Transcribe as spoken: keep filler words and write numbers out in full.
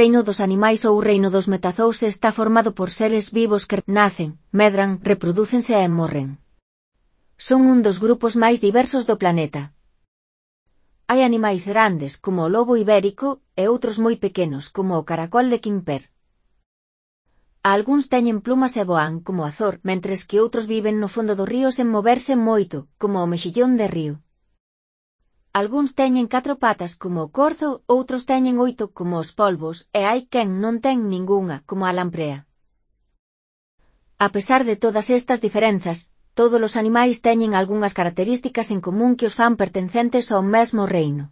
reino dos animais ou o reino dos metazous está formado por seres vivos que nacen, medran, reprodúcense e morren. Son un dos grupos máis diversos do planeta. Hai animais grandes, como o lobo ibérico, e outros moi pequenos, como o caracol de Quimper. Algúns teñen plumas e voan, como o azor, mentres que outros viven no fondo dos ríos sen moverse moito, como o mexillón de río. Algúns teñen catro patas, como o corzo, outros teñen oito, como os polvos, e hai quen non ten ningunha, como a lamprea. A pesar de todas estas diferenzas, todos os animais teñen algunhas características en común que os fan pertencentes ao mesmo reino.